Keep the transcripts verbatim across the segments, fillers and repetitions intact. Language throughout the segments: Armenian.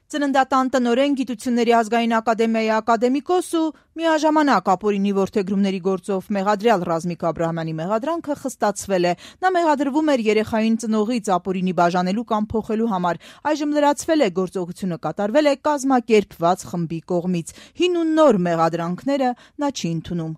Ծննդատան տնօրեն, Գիտությունների ազգային ակադեմիայի ակադեմիկոս ու միաժամանակ ապօրինի որդեգրումների գործով մեղադրյալ Ռազմիկ Աբրահամյանի մեղադրանքը խստացվել է։ Նա մեղադրվում էր երեխային ծնողից ապօրինի բաժանելու կամ փոխելու համար։ Այժմ լրացվել է, գործողությունը կատարվել է կազմակերպված խմբի կողմից։ Հին ու նոր մեղադրանքները նա չի ընդունում։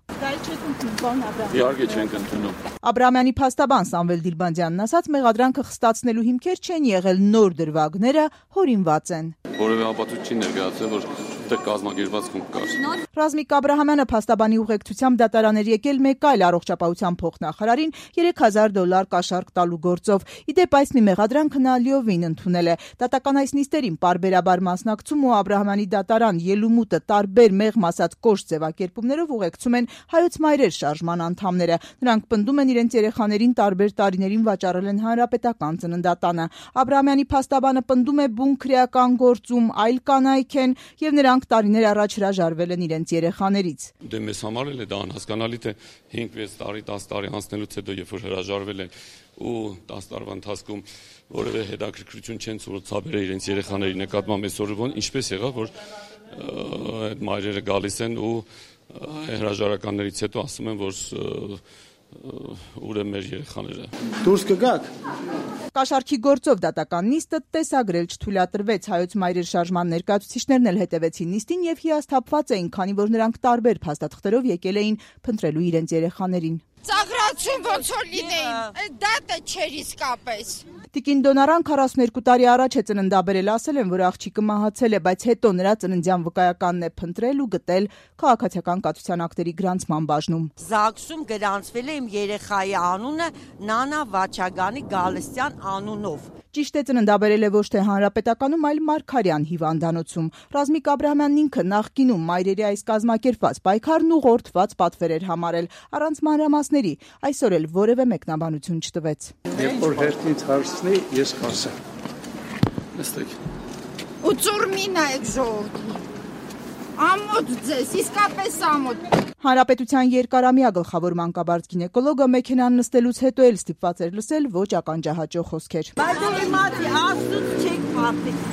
Իհարկե չենք ընդունում։ Աբրահամյանի փաստաբան Սամվել Դիլբանդյանն ասաց, մեղադրանքը խստացնելու հիմքեր չեն եղել, նոր դրվագները հորինված են։ Որևէ ապացույց չի ներկայացել, որ դա կազմակերպված խումբ կար։ Ռազմիկ Աբրահամյանը փաստաբանի ուղեկցությամբ դատարան էր եկել մեկ այլ առողջապահության փոխնախարարին երեք հազար դոլար կաշառք տալու գործով։ Ի դեպ, այս մի մեղադրանքը նա լիովին ընդունել է։ Դատական այս նիստերին պարբերաբար մասնակցում ու Աբրահամյանի դատարան ելումուտը տարբեր մեղմ ասած կոշտ ձևակերպումներով ուղեկցում են Հայոց մայրեր շարժման անդամները։ Նրանք պնդում են, իրենց երեխաներին տարբեր տարիներին վաճառել են հանրապետական ծննդատանը։ Աբրահամյանի փաստաբանը պնդում է, բուն քրեական գործում այլ կանայք են եւ նրանք տարիներ առաջ հրաժարվել են իրենց երեխաներից։ Դե մեզ համար էլ է դա անհասկանալի, թե հինգ վեց տարի, դաս տարի անցնելուց հետո, երբ որ հրաժարվել են ու դաս տարվա ընթացքում որևէ հետաքրքրություն չեն ցուցաբերել իրենց երեխաների նկատմամբ, այսօր ո՞ն ինչպես եղավ, որ այդ մայրերը գալիս են ու հրաժարականներից հետո ասում են, որ ուր է մեր երեխաները։ Դուրս կգաք։ Կաշառքի գործով դատական նիստը տեսագրել չթույլատրվեց։ Հայոց մայրեր շարժման ներկայացուցիչներն էլ հետևեցին նիստին եւ հիասթափված էին, քանի որ նրանք տարբեր փաստաթղթերով եկել էին փնտրելու իրենց երեխաներին։ Ծաղրացում ոնց որ լինեին, դատը չէր իսկապես։ Տիկին Դոնարան քառասունուերկու տարի առաջ է ծննդաբերել, ասել են, որ աղջիկը մահացել է, բայց հետո նրա ծննդյան վկայականն է փնտրել ու գտել քաղաքացիական կաթության ակտերի գրանցման բաժնում։ ԶԱԳՍ-ում գրանցվել է իմ երեխայի անունը Նանա Վաչագանի Գալստյան անունով։ Ճիշտ է, ծննդաբերել է ոչ թե հանրապետականում, այլ Մարգարյան հիվանդանոցում։ Ռազմիկ Աբրահամյանն ինքը նախկինում մայրերի այս կազմակերպված պայքարն ուղղորդված պատվեր էր համարել, առանց մանրամասների։ Այսօր էլ որևէ մեկնաբանություն չտվեց։ Երբ որ հերթից հարցնի, ես կասեմ։ Նստեք։ Ու ծուրմին եք ժողովրդի։ Ամոթ ձեզ, իսկապես ամոթ։ Հանրապետության երկարամյա գլխավոր մանկաբարձ գինեկոլոգը մեքենան նստելուց հետո էլ ստիպված էր լսել ոչ ականջահաճո խոսքեր։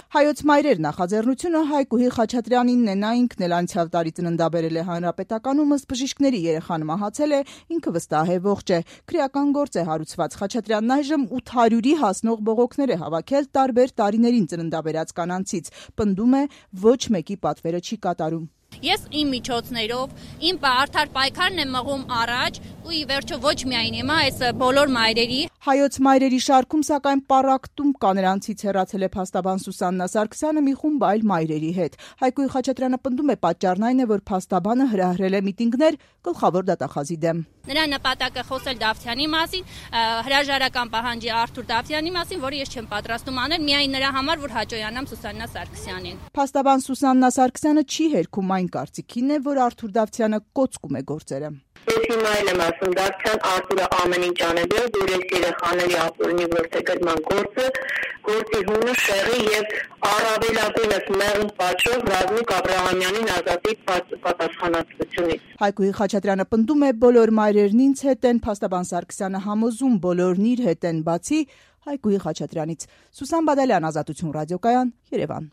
Հայոց մայրեր նախաձեռնությունը Հայկուհի Խաչատրյանինն է, նա ինքն էլ անցյալ տարի ծննդաբերել է հանրապետականում, ըստ բժիշկների երեխան մահացել է, ինքը վստահ է ողջ է։ Քրեական գործ է հարուցված։ Խաչատրյանն այժմ ութ հարյուրի հասնող բողոքներ է հավաքել տարբեր տարիներին ծննդաբերած կանանցից։ Պնդում է, ոչ մեկի պատվերը չի կատարում։ Ես իմ միջոցներով, իմ արդար պայքարն եմ մղում առաջ ու ի վերջո ոչ միայն հիմա այս բոլոր մայրերի։ Հայոց մայրերի շարքում սակայն պառակտում կա, նրանցից հեռացել է փաստաբան Սուսաննա Սարգսյանը մի խումբ այլ մայրերի հետ։ Հայկուհի Խաչատրյանը պնդում է, պատճառն այն է, որ փաստաբանը հրահրել է միտինգներ գլխավոր դատախազի դեմ։ Նրա նպատակը խոսել Դավթյանի մասին, հրաժարական պահանջի Արթուր Դավթյանի մասին, որը ես չեմ պատրաստում անել միայն նրա համար, որ հաջողանամ Սուսաննա Սարգսյանին։ Փաստաբան Սուսաննա Սարգսյանը չի հերքում այն կարծիքին է, որ Արթուր Դավթյանը կոծկում է գործերը։ Ես հիմա էլ եմ ասում, Դավթյան Արթուրը ամեն ինչ անել է, որ այս երեխաների ապօրինի որդեգրման գործը, գործի հունը շեղի եւ առավելագույնս մեղմ պատճով Ռազմիկ Աբրահամյանին ազատի պատասխանատվությունից։ Հայկուհի Խաչատրյանը պնդում է, բոլոր մայրերն ինձ հետ են, փաստաբան Սարգսյանը համոզում, բոլորն իր հետ են, բացի Հայկուհի Խաչատրյանից։ Սուսան Բադալյան, Ազատություն ռադիոկայան, Երևան։